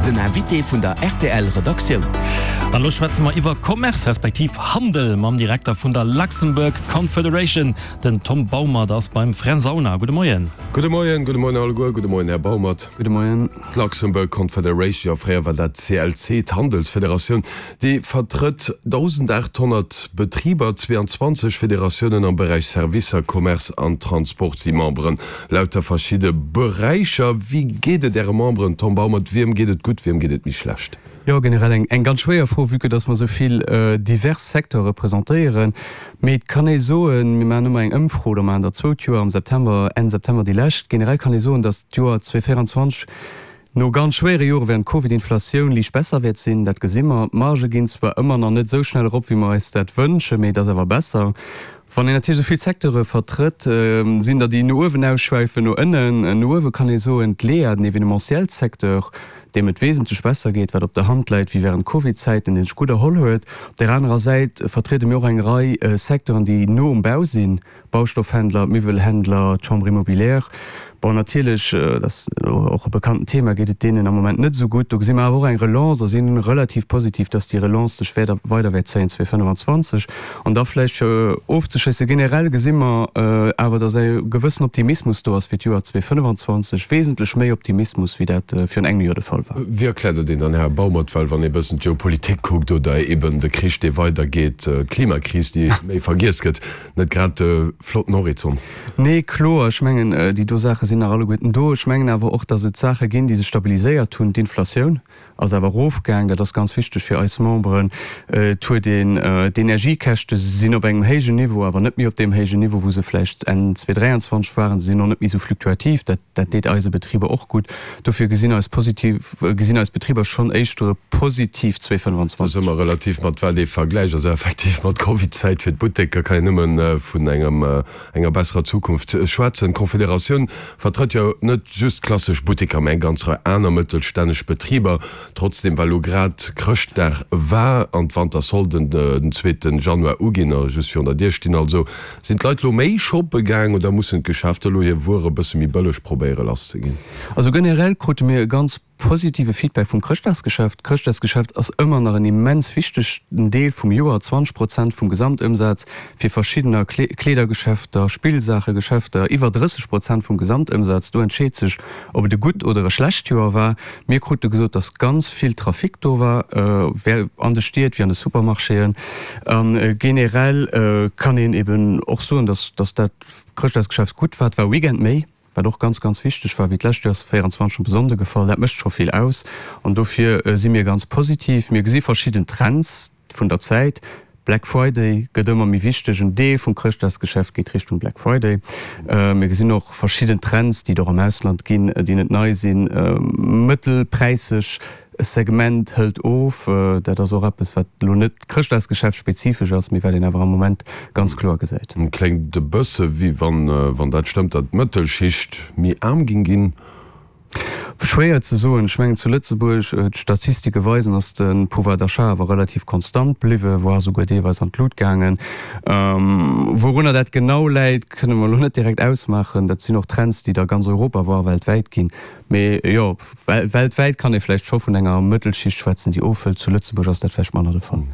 Den Invité vun der rtl Redaktioun. An elo schwätze mer iwwer Commerce respektiv Handel mam Direkter vun der Luxembourg Confederation, den Tom Baumert ass beim Fränz Aulner. Gudde Moien. Gudde Moien, gudde Moien alleguer, gudde Moien Här Baumert. Gudde Moien. D'Luxembourg Confederation, jo fréier war dat d'CLC, d'Handelsfederatioun, déi vertrëtt 1.800 Betriber, 22 Federatiounen am Beräich Servicer, Commerce an Transport si Memberen. Lauter verschidde Beräicher. Wéi geet et Äre Memberen, Tom Baumert? Wiem geet et gutt, wiem geet et méi schlecht? Jo, generell eng ganz schwéier Fro, vue que dass mer esou vill divers Secteure representéieren. Mee et kann ee soen, mir maachen ëmmer eng Ëmfro, oder maachen der zwou d'Joer, am September, Enn September déi lescht. Generell kann ee soen, dass d'Joer 2024 no ganz schwéiere Jore während Covid-Inflatioun liicht besser wäert sinn. Dat gesi mer. D'Margë ginn zwar ëmmer nach net esou schnell erop, wéi mer eis dat wënschen, mee et ass awer besser. Wann een natierlech esou vill Secteure vertrëtt, sinn der déi no uewen ausschwäifen, no ënnen. No uewe kann ee soen, d'LEA, den Evenementiel-Secteur, deem et wesentlech besser geet, wat op der Hand läit, wéi während Covid-Zäiten, dee sech gutt erholl huet. Op där anerer Säit vertriede mir och eng Rei Secteuren, déi no um Bau sinn, Baustoffhändler, d'Miwwelhändler, d'Chambre immobilière. Bon, natierlech, dat ass elo och e bekannten Thema, geet et deenen am Moment net esou gutt. Do gesi mer awer och eng Relance a si relativ positiv, dass déi Relance sech wäert weider wäert zéien 2025. An da vläicht fir ofzeschléissen, generell gesi mer awer, dass e gewëssen Optimismus do ass fir d'Joer 2025, wesentlech méi Optimismus, wéi dat virun engem Joer de Fall war. Wéi erkläert Der deen dann, Här Baumert? Well wann ee bëssen d'Geopolitik kuckt oder eeben de Krich, dee weidergeet, d'Klimakris, déi méi vergiess gëtt, Net grad de flotten Horizont. Nee, kloer. Ech mengen, déi do Saache sinn nach alleguerten do. Ech mengen awer och, datt et Saache ginn, déi sech stabiliséiert hunn. D'Inflatioun ass awer erofgaang. Dat ass ganz wichteg fir eis Memberen. Et huet een, d'Energiekäschte sinn op engem héijen Niveau, awer net méi op deem héijen Niveau, wou se vläicht Enn 2023 waren. Se sinn och net méi esou fluktuativ. Dat, dat deet eise Betriber och gutt. Dofir gesinn eis positiv, gesinn eis Betriber schonn éischter e positiv 2025. Dat ass ëmmer relativ mat wat ee vergläicht. Also effektiv mat Covid-Zäit fir d'Butteker kann een nëmme vun engem, enger besserer Zukunft schwätzen. D'Confederatioun vertrëtt jo net just klassesch Butteker, mä eng ganz Rei aner mëttelstänneg Betriber. Trotzdem, well elo grad Chrëschtdag war an d'Wantersolden den zweete Januar uginn, just virun der Dier stinn also, Sinn d'Leit lo méi shoppe gaang oder mussen d'Geschäfter lo hir Wuer e bësse méi bëlleg probéiere lass ze ginn? Also generell krute mir e ganz positive Feedback vum Chrëschtdagsgeschäft. D'Chrëschtdagsgeschäft ass ëmmer nach en immens wichtegen Deel vum Joer, 20 Prozent vum Gesamtëmsaz fir verschiddener Kleedergeschäfter, Spillsaachegeschäfter, iwwer 30 Prozent vum Gesamtëmsaz. Do entscheet sech, ob et e gutt oder e schlecht Joer war. Mir krute gesot, dass ganz vill Trafic do war, an de Stied wéi an de Supermarchéen. A generell kann een eben och soen, dass dat Chrëschtdagsgeschäft gutt war. Et war e Weekend méi, wat och ganz, ganz wichteg war, wéi d'lescht Joer ass 24 op e Sonnde gefall. Dat mécht scho vill aus an dofir si mir ganz positiv. Mir gesi verschidden Trends vun der Zäit. Black Friday gëtt ëmmer méi wichteg, en Deel vum Chrëschtdagsgeschäft geet Richtung Black Friday. Mir gesinn och verschidden Trends, déi et och am Ausland ginn, déi net nei sinn, mëttelpräiseg Segment hëlt of. Dat ass och eppes, wat elo net Chrëschtdagsgeschäft spezifesch ass, mee wat een awer am Moment ganz kloer gesäit. Kléngt e bësse wéi wann, wann dat stëmmt, datt d'Mëttelschicht méi aarm ging ginn. Schwéier ze soen. Ech mengen zu Lëtzebuerg, d'Statistike weisen, ass de Pouvoir d'achat awer relativ konstant bliwwen, voire souguer deelweis an d'Lut gaangen. Wourunner dat genau läit, kënne mer elo net direkt ausmaachen. Dat sinn och Trends, déi et a ganz Europa, voire weltwäit ginn. Mee jo, weltwäit kann ee vläicht scho vun enger Mëttelschicht schwätzen, déi ofhëlt. Zu Lëtzebuerg ass dat vläicht manner de Fall.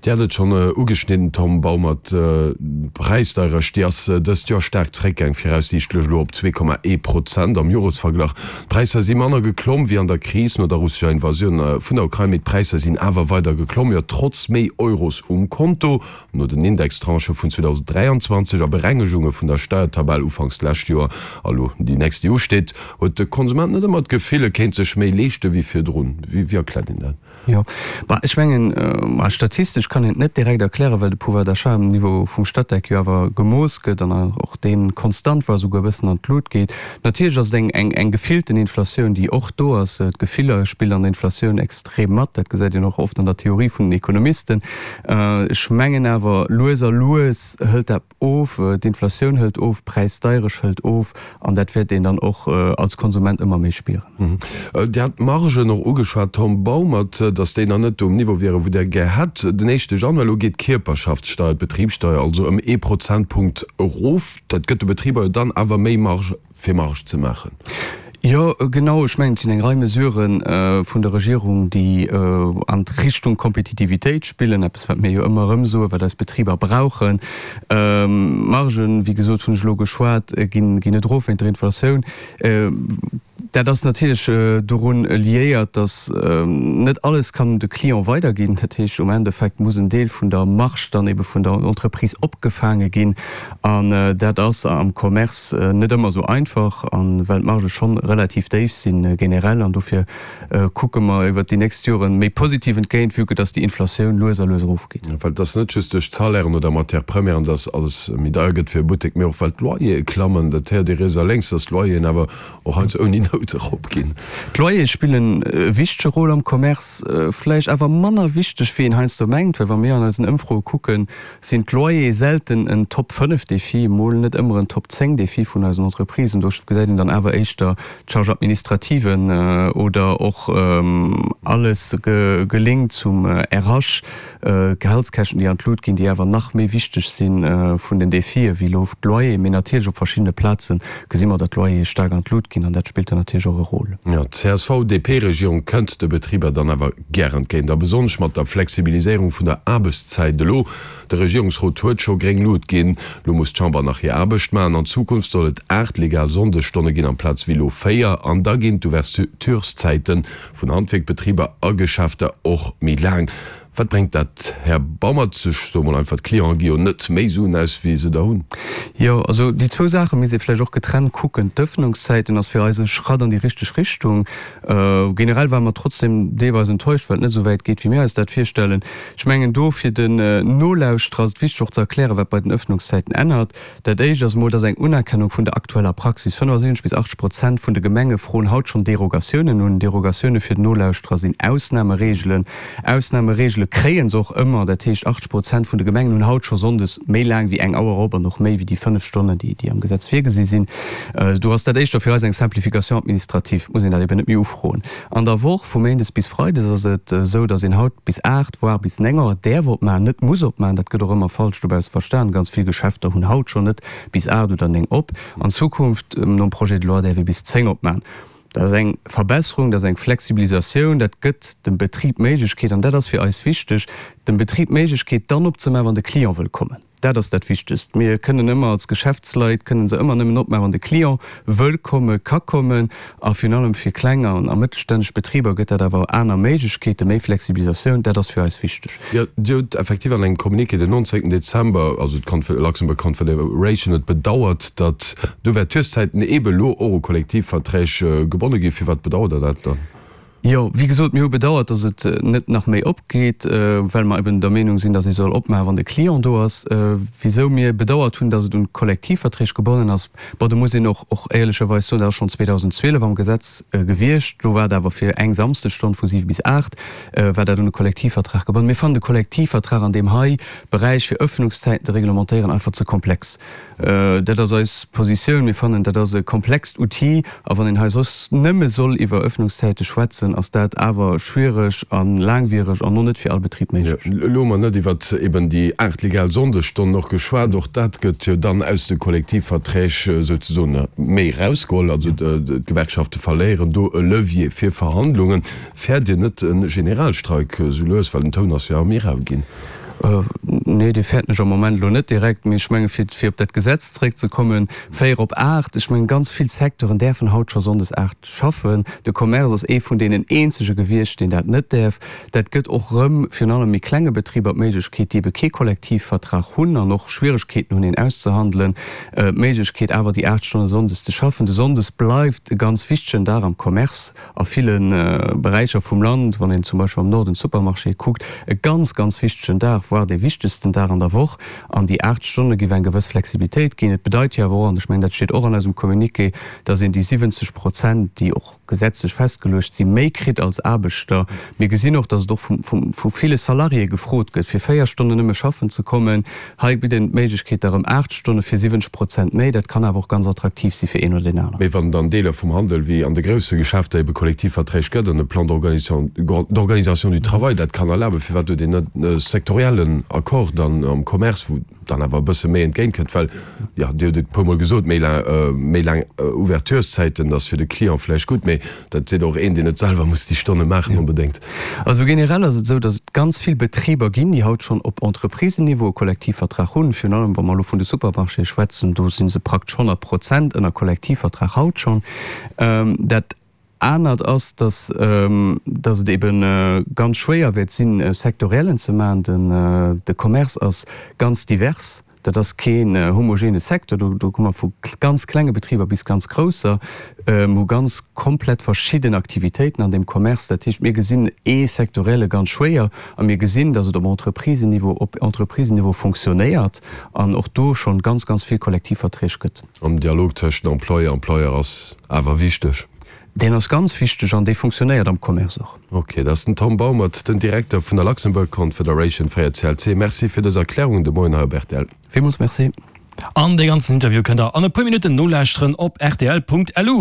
Dir hat et schonn ugeschnidden, Tom Baumert, d'Präisdeierecht, déi ass dëst Joer staark zeréckgaang, viraussiichtlech elo op 2,1 Prozent am Joresverglach. D'Präisser si manner geklomm wéi an der Kris no der russescher Invasioun vun der Ukrain, mee d'Präisser sinn awer weider geklomm, jo trotz méi Euros um Konto. No den Indextranchë vun 2023 a Berengegunge vun der Steiertabell ufanks d'lescht Joer a lo déi nächst déi usteet, huet de Konsument net ëmmer d'Gefill, e kéint sech méi leeschte wéi virdrun. Wéi erkläert een dat? Jo, ma ech mengen, ma statistesch kann een et net direkt erklären, well de Pouvoir d'achat um Niveau vum Statec jo awer gemooss gëtt an och dee konstant war, esouguer e bëssen an d'Lut geet. Natierlech ass et eng, eng, eng gefillten Inflatioun, déi och do ass. D'Gefiller spillen an der Inflatioun extrem mat. Dat gesäit een och oft an der Theorie vun den Ekonomisten. Ech mengen awer, lues a lues hëlt dat of, d'Inflatioun hëlt of, d'Präisdeierecht hëlt of an dat wäert een dann och als Konsument ëmmer méi spieren. Dir hat d'Margen och ugeschwat, Tom Baumert, datt déi nach net um Niveau wieren, wou Der gär hätt. Den éischte Januar elo geet d'Kierperschaftssteier, d'Betribssteier also ëm ee Prozentpunkt erof. Dat gëtt de Betriber jo dann awer méi Marge fir Marge ze maachen. Jo, genau. Ech mengen, et sinn eng Rei Mesurë vun der Regierung, déi an d'Richtung Kompetitivitéit spillen, eppes wat mir jo ëmmer erëm soen, wat eis Betriber brauchen. D'Margen, wéi gesot, hunn ech elo geschwat, ginn net erof wéint der Inflatioun. Dat ass natierlech dorun liéiert, datt net alles kann un de Client weiderginn. Dat heescht, um Endeffekt muss en Deel vun der Marge dann ebe vun der Entreprise opgefaange ginn. An dat ass am Commerce net ëmmer esou einfach, a well d'Margë schonn relativ déif sinn generell. An dofir kucke mer iwwert déi nächst Joren méi positiv entgéint, vue que datt déi Inflatioun lues a lues erofgeet. Well et ass net just duerch d'Salairen oder Matières premièren, datt alles méi deier gëtt fir e Buttek, mee och well d'Loyere klammen. Dat héiert ee riets a lénks, datt d'Loyeren awer och heiansdo ouni Nout eropginn. D'Loyere spillen e wichtege Rôle am Commerce, vläicht awer manner wichteg wéi een heiansdo mengt, well wa mir an eisen Ëmfroe kucken, sinn d'Loyere selten en Top 5 Défi, mol net ëmmer en Top 10 Défi vun eisen Entreprisen. Do gesäit een dann awer éischter d'Charge administrative oder och alles gelinkt zum RH, d'Gehaltskäschten, déi an d'Lut ginn, déi awer nach méi wichteg si vun den Défië wéi elo d'Loyere. Mee natierlech op verschiddene Plaze gesi mer, datt d'Loyere staark an d'Lut ginn an dat spillt dann natierlech och e Rôle. Jo, d'CSV-DP-Regierung kënnt de Betriber dann awer gär entgéint, a besonnesch mat der Flexibiliséierung vun der Aarbechtszäit elo. De Regierungsrot huet scho gréng Lut ginn, lo muss d'Chamber nach hir Aarbecht maachen. An Zukunft soll et 8 legal Sonndesstonne ginn, amplaz wéi elo 4, an da ginn d'Ouvertureszäite vun Handwierkbetriber a Geschäfter och méi laang. Wat bréngt dat, Här Baumert? Ech soe mol einfach, d'Clienten gi jo net méi Suen aus, wéi se der hunn. Jo, also déi zwou Saache misst ee vläicht och getrennt kucken. D'Ëffnungszäiten ass fir eis e Schratt an déi richteg Richtung. Generell ware mer trotzdem deelweis enttäuscht, well et net esou wäit geet, wéi mir eis dat virstellen. Ech mengen, do fir den Nolauschterer ass et wichteg och ze erklären, wat bei den Ëffnungszäiten ännert. Dat Éischt ass emol, dass eng Unerkennung vun der aktueller Praxis. 75 bis 80 Prozent vun de Gemenge froen haut schonn Derogatiounen un. Derogatioune fir den Nolauschterer sinn Ausnamereegelen. Ausnamereegele kréie se och ëmmer. Dat heescht, 80 Prozent vun de Gemengen hunn haut scho sonndes méi laang wéi eng Auer op an och méi wéi déi 5 Stonnen, déi am Gesetz virgesi sinn. Do ass dat éischter fir eis eng Simplification administrative, muss een dat eben net méi ufroen. An der Woch, vu méindes bis freides, ass et esou, datt een haut bis 8, voire bis 9 Auer däerf opmachen, net muss opmachen. Dat gëtt och ëmmer falsch dobausse verstan. Ganz vill Geschäfter hunn haut schonn net bis 8 oder 9 op. An Zukunft, nom Projet de loi, däerf ee bis 10 opmachen. Dat ass eng Verbesserung, dat ass eng Flexibilisatioun, dat gëtt dem Betrib d'Méiglechkeet, an dat ass fir eis wichteg, dem Betrib d'Méiglechkeet dann opzemaachen, wann de Client wëll kommen. Dat ass dat Wichtegst. Mir kënnen ëmmer als Geschäftsleit, kënnen se ëmmer nëmmen opmaachen, wann de Client wëll kommen, ka kommen. A virun allem fir kleng an a mëttelstänneg Betriber gëtt dat awer aner Méiglechkeeten, méi Flexibilisatioun. Dat ass fir eis wichteg. Jo, Dir hutt effektiv an engem Communiqué den 19 Dezember, also d'Luxembourg Confederation huet bedauert, datt d'Ouvertureszäiten eebe elo och u Kollektivverträg gebonne ginn. Firwat bedauert Der dat dann? Jo, wéi gesot, mir hu bedauert, datt et net nach méi opgeet, well mer eben der Meenung sinn, datt ee soll opmaachen, wann de Client do ass. Wisou mir bedauert hunn, datt et un d'Kollektivverträg gebonnen ass, bon, do muss een och och éierlecherweis soen, dat ass schonn 2012 am Gesetz gewiescht. Do war et awer fir eng Samsdesstonn vu 7 bis 8 war dat un de Kollektivvertrag gebonnen. Mir fannen de Kollektivvertrag an deem hei Beräich, fir Ëffnungszäiten ze reglementéieren, einfach ze komplex. Dat ass eis Positioun. Mir fannen, dat ass e komplext Outil. A wann een hei soss nëmme soll iwwer Ëffnungszäite schwätzen, ass dat awer schwiereg a laangwiereg an och net fir all Betrib méiglech. Elo hu mer net iwwer eben déi 8 legal Sonndesstonnen och geschwat. Och dat gëtt jo dann aus de Kollektivverträg souzesoen méi erausgeholl. Also d'Gewerkschafte verléieren do e Levier fir Verhandlungen. Fäert Dir net e Generalstreik esou lues, well den Toun ass jo awer méi rau ginn? Nee, dee fäerten ech am Moment elo net direkt. Mee ech menge fir fir op dat Gesetz zeréckzekommen, 4 op 8, ech mengen ganz vill Secteuren däerfen haut scho sonndes 8 schaffen. De Commerce ass ee vun deenen eenzege gewiescht, deen dat net däerf. Dat gëtt och erëm virun allem méi klenge Betriber d'Méiglechkeet, déi ebe kee Kollektivvertrag hunn an och Schwieregkeeten hunn, een auszehandelen, d'Méiglechkeet awer déi 8 Stonne sonndes ze schaffen. De Sonndes bleift e ganz wichtegen Dag am Commerce. a ville Beräicher vum Land, wann een zum Beispill am Norden d'Supermarchéë kuckt, e ganz, ganz wichtegen Dag, voire dee wichtegsten Dag an der Woch. An déi 8 Stonne géif eng gewëss Flexibilitéit ginn. Et bedeit jo awer och, an ech mengen, dat steet och an eisem Communiqué, dass een déi 70 Prozent, déi och gesetzlech festgeluecht sinn, méi kritt als Aarbechter. Mir gesinn och, dass et och vu ville Salariéë gefrot gëtt, fir 4 Stonnen nëmme schaffen ze kommen. Hei bitt een d'Méiglechkeet da rëm 8 Stonne fir 70 Prozent méi. Dat kann awer och ganz attraktiv si fir een oder deen aneren. Mee wann et an Deeler vum Handel wéi an de grousse Geschäfter ebe Kollektivverträg gëtt an e Plan d'organisation du travail dat kann erlaben, firwat huet een net sektoriell? sektoriellen Accord dann am Commerce, wou dann awer e bësse méi entgéint kënnt, well, jo, Dir hutt et e puermol gesot, méi laang, méi laang Ouvertureszäiten, dat ass fir de Client vläicht gutt, mee dat seet och een, deen net selwer muss déi Stonne maachen onbedéngt. Also generell ass et esou, datt et ganz vill Betriber ginn, déi haut schonn op Entreprisenniveau e Kollektivvertrag hunn. Virun allem, wa mer elo vun de Supermarchéë schwätzen, do si se praktesch 100 Prozent ënner Kollektivvertrag haut schonn. Dat anert ass, datt datt et ebe ganz schwéier wäert sinn, e Sektoriellen ze maachen. Den de Commerce ass ganz divers. Dat ass keen homogene Secteur. Do do komme mer vu ganz klenge Betriber bis ganz grousser. Mir hu ganz komplett verschidden Aktivitéiten an deem Commerce. Dat heescht, mir gesinn ee Sektorielle ganz schwéier a mir gesinn, datt et op Entreprisenniveau op Entreprisenniveau fonctionnéiert an och do schonn ganz, ganz vill Kollektivverträg gëtt. An den Dialog tëscht Employé a Employeur ass awer wichteg. Deen ass ganz wichteg an dee funktionéiert am Commerce och. Ok, dat ass den Tom Baumert, den Direkter vun der Luxembourg Confederation, fréier CLC. Merci fir dës Erklärungen de Moien hei op rtl. Villmools Merci. An dee ganzen Interview kënnt der an e puer Minutten nolauschteren op rtl.lu.